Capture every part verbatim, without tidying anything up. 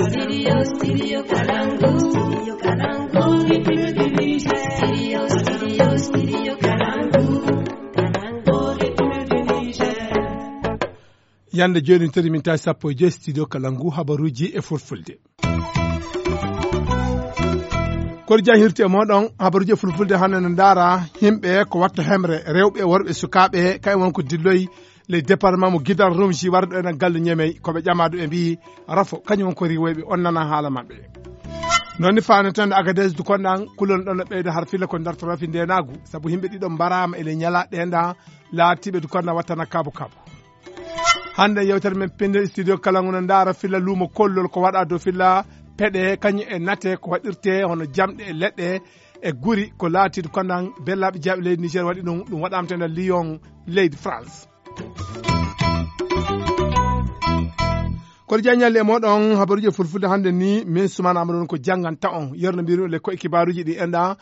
Studio, studio Kalangu. Studio Kalangu. Studio, studio, studio Kalangu. Kalangu, République du Niger. Yande jooni, tori min tawi sappo e joy studio Kalangu, habaruuji e fulfulde. Kori jan hirti e mooɗon, habaruuji e fulfulde hannde no ndaara yimɓe ko watta hemre, rewɓe, worɓe, sukaaɓe, kay won ko dilloyi le département mo Gidal Rumji warɗo enen galle Ñemey, ko ɓe ƴamaɗo ɓe mbiyi rafo, kañum won ko riiwoyɓe, on nana haala maɓɓe. Noon ni faaneten Agadez du konɗan, kulol ɗon no ɓeyda har filla ko darto rafi ndenaagu, sabu yimɓe ɗiɗo mbaraama ele ñala ɗen ɗan, laatiiɓe du konɗan wattana kabo kabo. Hannde yewtere men pinde studio kala ngu no ndaara filla luumo kollol ko waɗa dow filla peɗe, kañum e nate ko waɗirte hono jamɗe e leɗɗe e guri ko laatiiɗo konɗan bellaaɓe jeyaɓe leydi Niger waɗi ɗum, ɗum waɗaama to nder Lyon leydi France. Kono jaññalle e moɗon habaruuji e fulfulde hannde ni, min Sumana Amadou on ko jannganta on. Yerno mbiru le ko e kibaaruuji ɗi enɗa,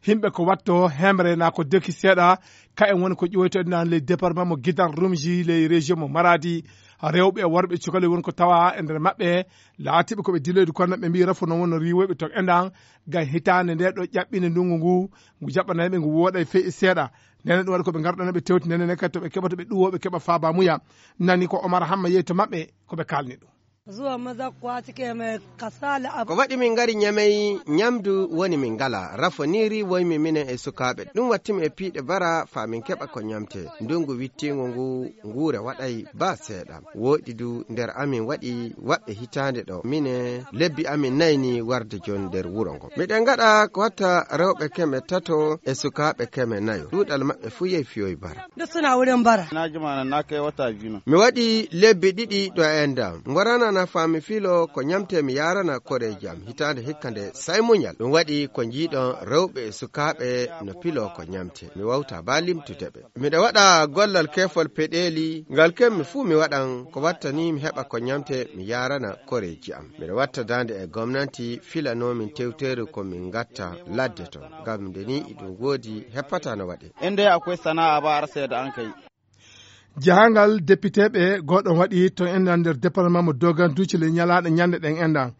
yimɓe ko watto hemre na ko deki seeɗa, ka en woni ko ƴoyto enɗa le département mo Gidan Rumji, le région mo Maradi. Rewɓe e worɓe cukalel woni ko tawa e nder maɓɓe, laatiiɓe ko ɓe diloyde kono ɓe mbi rafo no wonno riiwoyɓe to enɗan, ngam hitaande nde ɗo ƴaɓɓinde ndungu ngu, ngu jaɓɓanayɓe ngu wooɗay fey e seeɗa. Nene ɗum waɗi ko ɓe ngarɗana ɓe tewti nene ne kadi to ɓe keɓata ɓe ɗuwo ɓe keɓa faaba muya. Nani ko Omar Hamma yehi to maɓɓe ko ɓe kaalni ɗum. Zuwa maza kwati ke mai kasala ab- Ko waɗi min ngari Ñamey, ñamdu woni min ngala. Rafo ni riiwoymi minen e sukaaɓe. Ɗum watti mi e piiɗe bara faa min keɓa ko ñamte. Ndungu wittiingu ngu nguure waɗay ba seeɗa. Wooɗi du nder amin waɗi waɓɓe hitaande ɗo. Mine lebbi amin nayi ni warde jon nder wuro ngo. Miɗen ngaɗa ko watta rewɓe keme tato e sukaaɓe keme nayo. Ɗuuɗal maɓɓe fuu yehi fiyoy bara. Duk suna wurin bara. Na jima nan na kai wata biyu nan. Mi waɗi lebbi ɗiɗi ɗo e ndam. Ngorana na faa mi filo ko ñamte mi yaarana koreeji am. Hitaande hikka nde say muñal. Ɗum waɗi ko njiiɗon rewɓe e sukaaɓe no pilo ko ñamte. Mi wawta ba limtude ɓe. Miɗa waɗa gollal kefol peɗeeli, ngal kemmi fuu mi waɗan ko watta ni mi heɓa ko ñamte mi yaarana koreeji am. Miɗa watta daande e gomnanti filanoo min tewteeri ko min ngatta ladde to. Ngam nde ni iɗum woodi heppata no waɗe. Inda akwai sana'a ba har sai da an kai. Jahangal depiteeɓe gooɗon waɗi to enɗan nder département mo Dogan Duuci le ñalaaɗo ñande ɗen enɗan.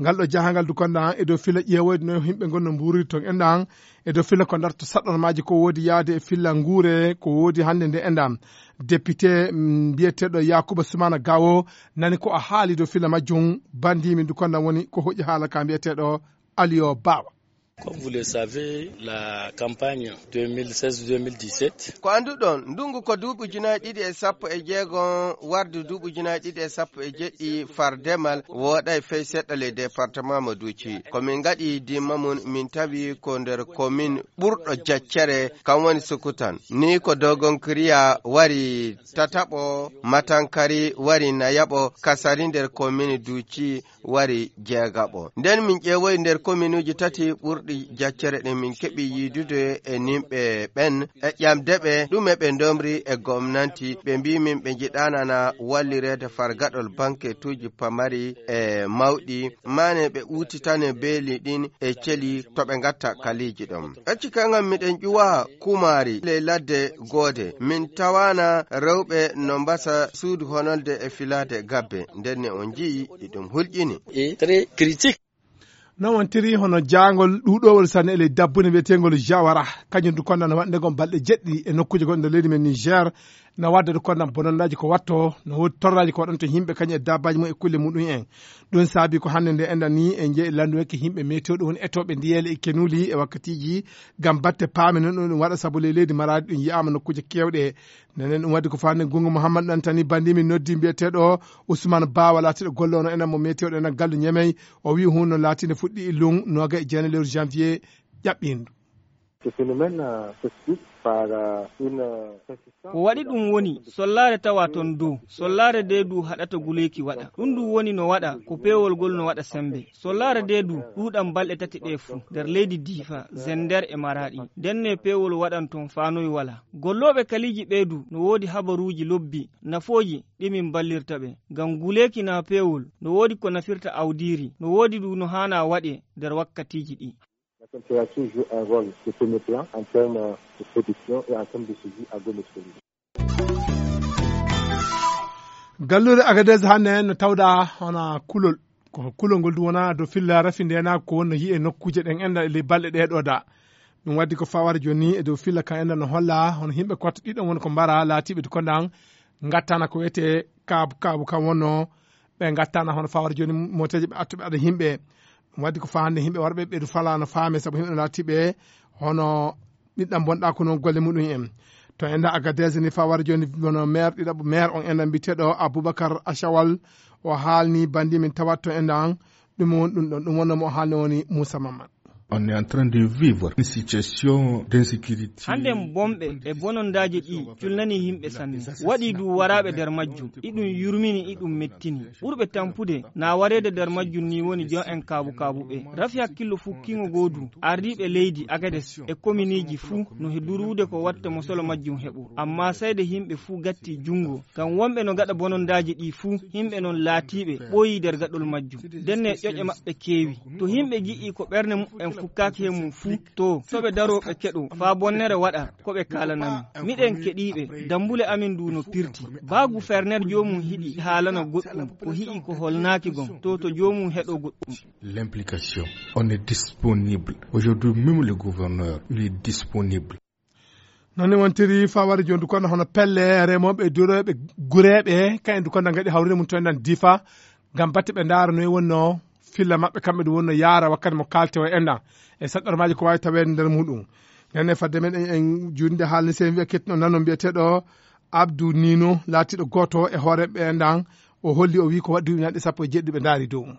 Ngal ɗo jahangal du konɗan e dow fila ƴeewoyde no yimɓe ngon no mbuuriri ton enɗan, e dow fila ko darto saɗɗormaaji ko woodi yaade e filla nguure ko woodi hannde nde enɗan. Député, mm, mbiyeteeɗo Yakuba Sumana Gawo nani ko a haali dow fila majjum, bandiimi du konɗan woni ko hoƴi haala ka mbiyeteeɗo Aliyo Bawa. Comme vous le savez, la campagne deux mille seize deux mille dix-sept. Ko annduɗon, ndungu ko duuɓi ujunaaji ɗiɗi e sappo e jeego warde duuɓi ujunaaji ɗiɗi e sappo e jeɗɗi far demal wooɗay fey seɗɗa le département mo Duuci. Ko min ngaɗi dimma mum, min tawi ko nder commune ɓurɗo jaccere, kam woni Sukutan. Ni ko Dogon Kiriya wari tataɓo, Matankari wari nayaɓo, Kasari nder commune Duuci wari jeegaɓo. Nden min ƴeewoyi nder kominuuji tati ɓurɗi jaccere ɗin, min keɓi yiidude e nimɓe ɓen, e ƴamde ɓe ɗume ɓe ndomri e gomnanti. Ɓe mbii min ɓe njiɗaana na wallireede far gaɗol banketuuji pamari e mawɗi, maane ɓe uutitane beeli ɗin e celi to ɓe ngatta kaliiji ɗon. Acci kan ngam miɗen ƴuwa kumaari ley ladde goode. Min tawaana rewɓe no mbasa suudu honolde e filaade gabbe. Nden ne on nji'i iɗum hulƴini. Et très critique. Non wontiri hono jaangol ɗuuɗowol sanne e ley dabbunde wiyeteengol Jawara. Kañum du konɗan no waɗnde ngon balɗe jeɗɗi e nokkuuje goɗɗe nder leydi men Niger. No waɗde du konɗan bononnaaji ko watto, no woodi torraaji ko waɗanto yimɓe kañum e dabbaaji mum e kulle muɗum en. Ɗum saabi ko hannde nde enɗan ni e jeyi lanndoweke yimɓe meteo ɗum woni etooɓe ndiyeele e kenuuli e wakkatiiji ngam batte paame non ɗum waɗa sabu ley leydi Maraadi ɗum yiyaama nokkuuje keewɗe. Nenen ɗum waɗi ko faande Gungu Mouhammad Ɗantani banndi min noddi mbiyeteeɗo Ousmane Bawa laatiiɗo golloono enen mo meteo ɗo enen gallu Ñemey. O wiyi huunde no laatiinde fuɗɗi illum nooga e jeenayi lewru janvier ƴaɓɓiindu. Ce phénomène, euh, s'explique par, euh, une, euh, persistance. Ko waɗi ɗum woni sollaare tawa ton dow. Sollaare nde du haɗata guleeki waɗa. Ɗum du woni no waɗa ko peewol ngol no waɗa sembe. Sollaare nde du ɗuuɗan balɗe tati ɗe fuu nder leydi Diifa, Zender e Maraɗi. Nden ne peewol waɗan ton faanoy wala. Gollooɓe kaliiji ɓe du no woodi habaruuji lobbi, nafooji ɗi min ballirta ɓe. Ngam guleeki na peewol no woodi ko nafirta awdiiri, no woodi du no haana waɗe nder wakkatiiji ɗi. La température joue un rôle de premier plan en termes de production et en termes de survie agrométéorologique. Galluure Agadez hannde no tawda hono kulol. Ko kulol ngol du wona dow filla rafi ndeenaagu ko wonno yi'e nokkuuje ɗen enɗan e ley balɗe ɗee ɗoo da. Ɗum waddi ko fawaade jooni ni e dow filla kan enɗan no holla hono yimɓe kotte ɗiɗon woni ko mbara laatiiɓe du kondan ngattana ko wiyetee kaabu kaabu kan wonno ɓe ngattana hono fawaade jooni mooteeje ɓe attuɓe aɗa yimɓe. Ɗum waddi ko faa hannde yimɓe warɓe ɓe du falaa no faame sabu yimɓe no laatiiɓe hono ɓiɗɗam bonɗa ko noon golle muɗum en. To enɗan Agadez ni fawaade jooni hono maire ɗiɗaɓo maire on enɗan mbiyeteeɗo Aboubacar Achawal o haalni banndi min tawat to enɗan ɗum won ɗum ɗon ɗum wonno mo o haalni woni Moussa Mammad. On est en train de vivre une situation d'insécurité. Hannden bomɓe e bonondaaji ɗi culnanii yimɓe sanne. Waɗii du waraaɓe nder majjum. Iɗum yurmini, iɗum mettini. Ɓurɓe tampude na wareede nder majjum ni woni jon en kaabu kaabu ɓe. Rafi hakkillo fuu kiŋo goo du. Ardiiɓe leydi Agades e kominiiji fuu no he duruude ko watta mosolo majjum heɓo. Ammaa seyde yimɓe fuu gatti junngo. Ngam wonɓe no gaɗa bonondaaji ɗi fuu, yimɓe non laatiiɓe ɓooyii nder gaɗol majjum. Ndenne ƴoƴe maɓɓe keewi. To yimɓe ngi'ii ko ɓerne muɓɓen fukkaaki he mum fuu, to, to ɓe daroo ɓe keɗoo, faa bonnere waɗa, ko ɓe kaalanami. Miɗen keɗiiɓe, dammbule amin du no pirti. Baa guferner joomum hiɗi haalana goɗɗum, ko hi'i ko holnaaki gom, to, to joomum heɗoo goɗɗum. L'implication, on est disponible. Aujourd'hui, même le gouverneur, il est disponible. Noon ne wontiri fawari jooni du kono hono pelle remooɓe e durooɓe gureeɓe kayen du kono ngaɗi hawrire mum to enɗan difa ngam batte ɓe ndaara no e wonno filla maɓɓe kamɓe du wonno yaara wakkati mo kaalte o enɗan e saɗɗormaaji ko waawi taweede nder muɗum. Nden e fadde men en en juunde haalni sey wiya kettuno nano mbiyeteeɗo Abdou Nino laatiiɗo gooto e hooreeɓe enɗan o holli o wii ko waɗi duuɓi naɗi sappo e jeɗɗi ɓe ndaari dow mum.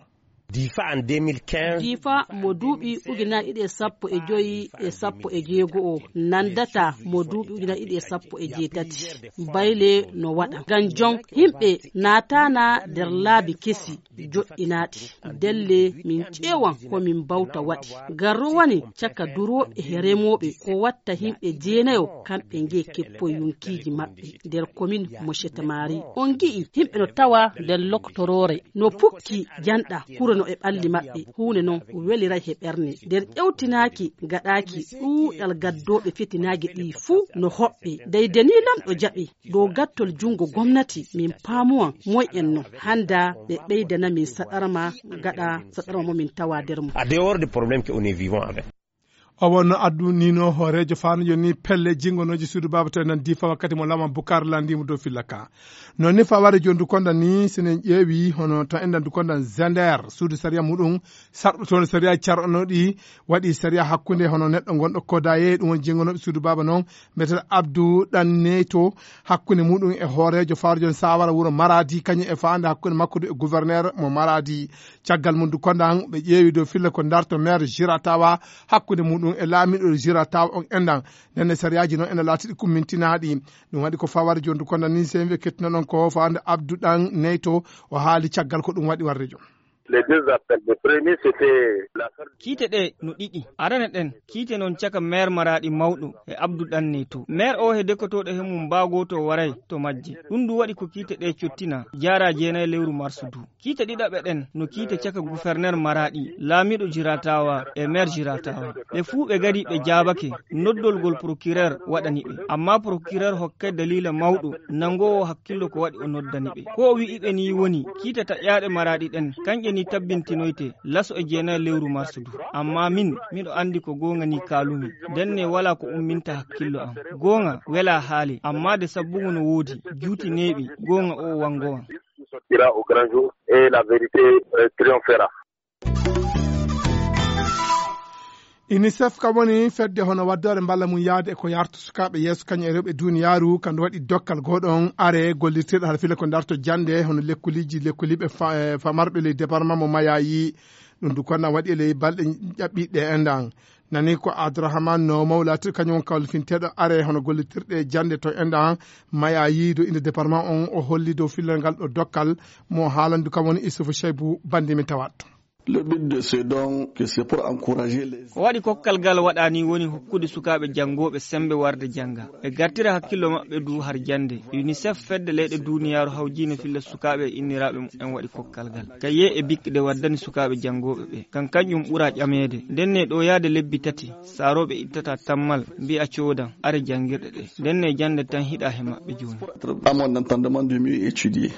Difa en deux mille quinze. Difa mo duuɓi ujunaaji ɗiɗi e sappo e joyi e sappo e jeego o nandata mo duuɓi ujunaaji ɗiɗi e sappo e jeetati. Bayle no waɗa ngam jon yimɓe naatana nder laabi kesi joɗɗinaaɗi. Delle min ƴeewan ko min mbawta waɗi. Garro woni caka durooɓe e remooɓe ko watta yimɓe jeenayo kamɓe ngee keppoy yonkiiji maɓɓe nder komin mo Chetamari. On ngi'i yimɓe no tawa nder loktoroore no pukki janɗa kuro no e ɓalli maɓɓe. Huunde non weliray he ɓernde nder ƴewtinaaki gaɗaaki ɗuuɗal gaddooɓe fitinaaji ɗi fuu no hoɓɓe. Dey deni lamɗo jaɓi dow gattol junngo gomnati min paamuwan moy en non hannda ɓe ɓeydana min saɗarma gaɗa saɗarma mo min tawa nder mum. A dehors de problème que on est vivant avec. O wonno addu nino hooreejo faano joni pelle jingonooji suudu baaba to e nan difa wakkati mo lama bukar landimo dow filla ka. Noon ni faware joni du konda ni senen ƴeewi hono to enɗan du konda zender suudu sariya muɗum sarɗo toon sariya carɗanoɗi waɗi sariya hakkunde hono neɗɗo gonɗo kodaye ɗum woni jingonooɓe suudu baaba noon mbiyeteeɗo Abdou Ɗan Neyto hakkunde muɗum e hooreejo fawre joni sawara wuro Maradi kañum e faande hakkunde makko du e gouverneur mo Maradi. Caggal mum du kondan ɓe ƴeewi dow filla ko darto maire Jiratawa hakkunde muɗum e laamiɗo Jiratawa on enɗan. Ndenne sariyaaji noon ene laatiɗi kummintinaaɗi. Ɗum waɗi ko faware joni du kondan ni sey mbiye kettinoɗon ko fawande Abdou Ɗan Neyto o haali caggal ko ɗum waɗi warde jom. Les deux appels. Le premier, c'était l'affaire. Kiite ɗe no ɗiɗi. Arane ɗen kiite noon caka maire maraɗi mawɗo e Abdou Ɗanne to maire o he dekotooɗo he mum mbaago to waray to majje. Ɗum du waɗi ko kiite ɗe cottina jaara jeenay lewru marsu du. Kiite ɗiɗaɓe ɗen no kiite caka guferner maraɗi laamiɗo jiratawa e maire jiratawa. Ɓe fuu ɓe gari ɓe jaabake noddolgol procureur waɗani ɓe. Amma procureur hokkay daliila mawɗo nangoowo hakkillo ko waɗi o noddani ɓe. Ko o wi'i ɓe ni woni kiite taƴaaɗe maraɗi ɗen kanƴe ni tabbintinoyte laso e jeenay lewru marsu du. Amma min miɗo anndi ko goonga ni kaalumi. Ndenne walaa ko umminta hakkillo am. Goonga welaa haale amma de sabbugo no woodi juuti neeɓi goonga o wangowan. Sortira au grand jour et la vérité triomphera. Unicef kam woni fedde hono waddoore mballa mum yahde e ko yarta sukaaɓe yeeso kañum e rewɓe duniyaaru kandu waɗi dokkal gooɗon are gollirteeɗo hara fila ko darto jannde hono lekkuliiji lekkuliiɓe famarɓe ley département mo mayayi. Ɗum du konna waɗi e ley balɗe ƴaɓɓiɗɗe endan nani ko Abdourahmane no mawlatir kañum on kawlifinteeɗo are hono gollitirɗe jannde to endan mayayi do inde département on o holli dow fillal ngal ɗo dokkal mo haalandu kam woni Issoufou Cheibou bandi min tawat. Le but de ce don que c'est pour encourager les. Ko waɗi kokkal ngal waɗani woni hokkude sukaaɓe janngooɓe semmbe warde jannga ɓe gartira hakkillo maɓɓe du har jannde. Unicef fedde leyɗe duniyaaru hawjiino filla sukaaɓe e inniraaɓe mumen waɗi kokkal ngal kaye e bikɗe waddani sukaaɓe janngooɓe ɓe ngam kañum ɓura ƴameede. Ndenne ɗo yahde lebbi tati saarooɓe ittata tammal mbi'a coodan are janngirɗe ɗe. Ndenne jannde tan hiɗa he maɓɓe jooni. Amon entendement de mieux étudier.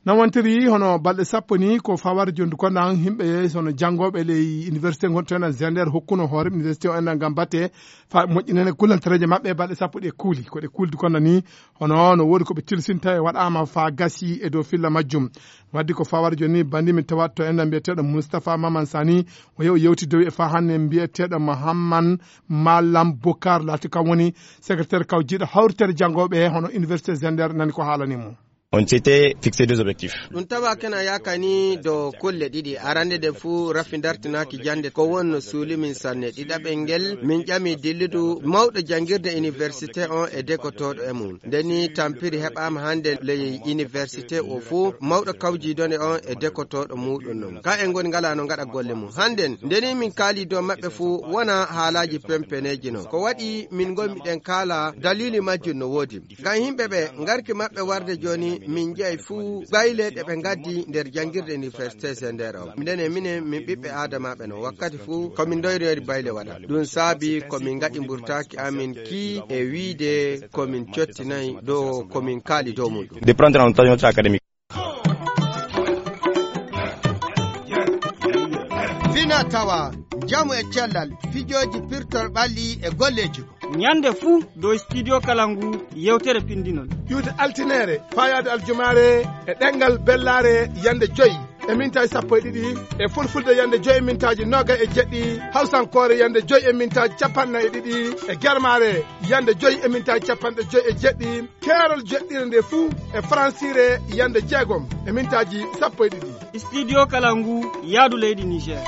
Nawantiri hono balɗe sappo ni ko fawar jondu konda yimɓe hono janngooɓe ley université gonto en Zender hokkuno hoore université o en ngam batte fa moƴƴinene kullantareeje maɓɓe balɗe sappo ɗe kuuli. Ko ɗe kuuldi konda ni hono no woodi ko ɓe tilsinta e waɗaama fa gasi e dow filla majjum. Waddi ko fawar joni bandi min tawa to en mbiyeteeɗo Moustapha Maman Sani o yew yewti dow e fa hannde mbiyeteeɗo Mahamman Malam Bokar laati kam woni secrétaire kawjiiɗo hawritere janngooɓe hono université Zender nani ko haalani mo. On s'était fixé deux objectifs. Ɗum tawa kena yakani do kulle ɗiɗi. Arande nde fuu rafi dartinaaki jannde ko wonno suuli min sanne. Ɗiɗaɓel ngel min ƴami dilludu mawɗo janngirde université on e dekotooɗo e mum. Ndeni tampiri heɓaama hannde ley université o fuu mawɗo kawjiidone on e dekotooɗo muuɗum non. Ka en ngoni ngala no ngaɗa golle mum. Hannden ndeni min kaali dow maɓɓe fuu wona haalaaji pempeneeji non. Ko waɗi min ngonmi ɗen kaala daliili majjum no woodi. Ngam yimɓe ɓe ngarki maɓɓe warde jooni min njeyi fuu bayle ɗe ɓe ngaddi nder janngirde université Zender o. Minen e minen min ɓiɓɓe aadamaaɓe no wakkati fuu ko min ndoyroyri bayle waɗa. Ɗum saabi ko min ngaɗi mburtaaki amin ki e wiide ko min cottinayi dow ko min kaali dow muɗum. De prendre en otage notre académique. Fina tawa, njamu e cellal, fijooji pirtol ɓalli e golleeji. Ñande fuu dow studio kala ngu yewtere pindinol. Ƴuwde altinere, fayaade aljumaare e ɗengal bellaare yande joyi e mintaaji sappo e ɗiɗi, e fulfulde yande joyi e mintaaji noga e jeɗɗi, hawsankoore yande joyi e mintaaji capanɗe e ɗiɗi, e germaare yande joyi e mintaaji capanɗe joyi e jeɗɗi, keerol jeɗɗire nde fuu e faransiire yande jeegom e mintaaji sappo e ɗiɗi. Studio kala ngu yaadu leydi Niger.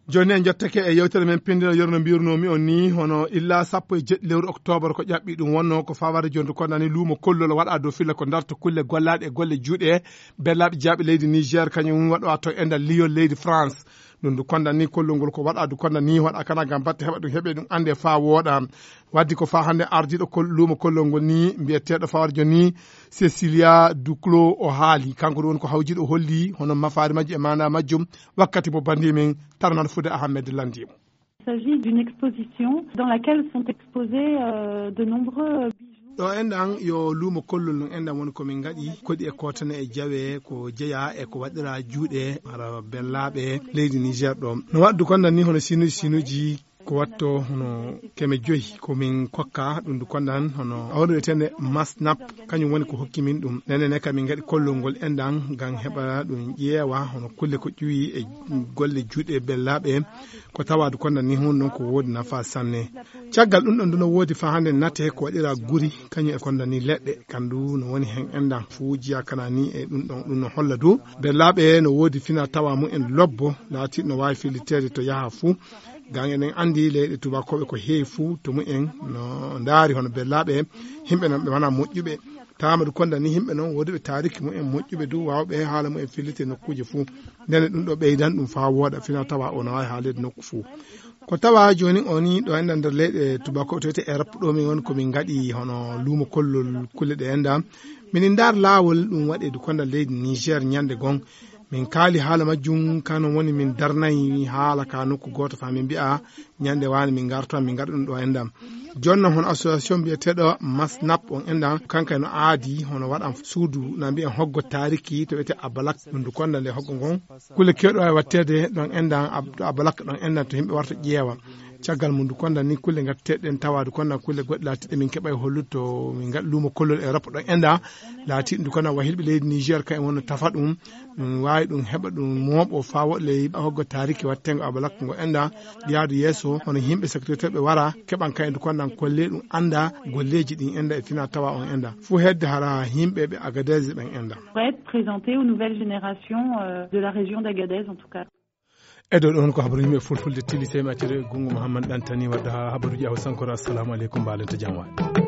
Jooni en njottake e yewtere men pindino, yerno mbirnomi on ni, hono illa sappo e jeɗɗi lewru octobre ko ƴaɓɓi ɗum wonno ko fawade jondu kondani luumo kollol waɗa dow filla ko darta kulle gollaɗe e golle juuɗe bellaaɓe jaaɓe leydi Niger, kañum waɗo to e nder Lyon leydi France. Ɗum du kondani kollol ngol ko waɗa du kondani waɗa kana ngam batte heɓa ɗum heɓe ɗum ande fa wooɗa. Waddi ko fa hannde ardiiɗo kol-, luumo kollol ngol ni, mbiyeteeɗo Fawarjo ni, Cecilia Duclos o haali. Kanko ɗum woni ko hawjiiɗo o holli hono mafaari majjum e maana majjum wakkati mo bandi men Tarnan Fude Ahmed lanndi mo. Il s'agit d'une exposition dans laquelle sont exposés, euh, de nombreux, euh, bijoux. Ɗo enɗan yo luumo kollol no enɗan woni ko min ngaɗi koɗi e kotane e jawe ko jeya e ko waɗira juuɗe hara bellaaɓe leydi Niger ɗo. No waɗdu kon nan ni hono sinuji sinuji ko watto hono keme joyi ko min kokka ɗum du kondan hono awre wiyetende Masnap, kañum woni ko hokki min ɗum. Nene ne kam min ngaɗi kollol ngol enɗan ngam heɓa ɗum ƴeewa hono kulle ko ƴuwi e golle juuɗe bellaaɓe ko tawa du kondan ni hun ɗon ko woodi nafa sanne. Caggal ɗum ɗon du no woodi fa hannde nate ko waɗira guri kañum e kondan ni leɗɗe kandu no woni hen enɗan fuujiya kana ni e ɗum ɗon ɗum no holla du bellaaɓe no woodi fina tawa mumen lobbo laati no waawi filliteede to yaha fuu. Ngam eɗen anndi leyɗe tubakooɓe ko heewi fuu to mumen no ndaari hono bellaaɓe, yimɓe noon ɓe wonaa moƴƴuɓe. Tawa du konda ni yimɓe noon woduɓe taariki mumen moƴƴuɓe du waawɓe haala mumen fillite nokkuuje fuu. Ndene ɗum ɗo ɓeydan ɗum faa wooɗa fina tawa o no waawi haaleede nokku fuu. Ko tawa jooni o ni ɗo enɗan nder leyɗe tubakooɓe to wiyete Europe ɗo min woni ko min ngaɗi hono luumo kollol kulle ɗe enɗan. Minin ndaar laawol ɗum waɗe du konda leydi Niger ñande gom. Min kaali haala majjum, kano woni min darnayi haala ka nokku gooto faa min mbi'a ñande waane min ngarta, min ngaɗa ɗum ɗo enɗam. Jooni noon hono association mbiyeteeɗo Masnap on enɗam, kanka no aadi hono waɗan suudu na mbi'en hoggo taariki to wiyete Abalak, ɗum du konda nde hoggo ngon. Kulle keewɗe waawi waɗteede ɗon enɗam, ab-, to Abalak ɗon enɗam to yimɓe warta ƴeewa. Caggal mum du konda ni kulle ngatteɗen tawa du konda kulle goɗɗe laatiɗe min keɓay hollude to min ngaɗa luumo kollol Europe ɗon enɗam. Laatiɗum du konda wahilɓe leydi Niger ka en wonno tafa ɗum. Ɗum waawi ɗum heɓa ɗum mooɓo faa woɗle hoggo taariki waɗtengo Abalak ngo enɗa yaadu yeeso, hono yimɓe secrétaire ɓe wara, keɓan kayen du kondan kolle ɗum annda golleeji ɗin enɗa e fina tawa on enɗa. Fuu hedde hara yimɓe ɓe Agadez ɓen enɗa. Pour être présenté aux nouvelles générations, euh, de la région d'Agadez, en tout cas. E dow ɗon ko habaru yimɓe fulfulde tili sey mi acciri e gungu Mouhammad Dantani wadda ha habaruji awa sankoro. Assalamu aleykum, mbaalen to jam waali.